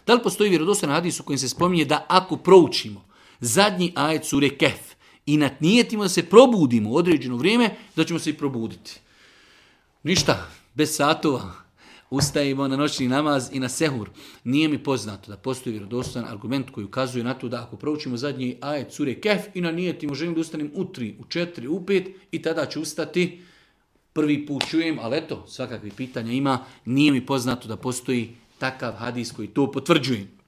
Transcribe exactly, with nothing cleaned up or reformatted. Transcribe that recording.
Da li postoji vjerodostojan hadis u kojem se spominje da ako proučimo zadnji ajet sure Kehf i natnijetimo da se probudimo u određeno vrijeme, da ćemo se i probuditi. Ništa, bez satova, ustajemo na noćni namaz i na sehur. Nije mi poznato da postoji vjerodostojan argument koji ukazuje na to da ako proučimo zadnji ajet sure Kehf i nanijetimo želim da ustanem u tri, u četiri, u pet i tada ću ustati. Prvi put čujem, ali eto, svakakvih pitanja ima. Nije mi poznato da postoji takav hadis koji to potvrđuje.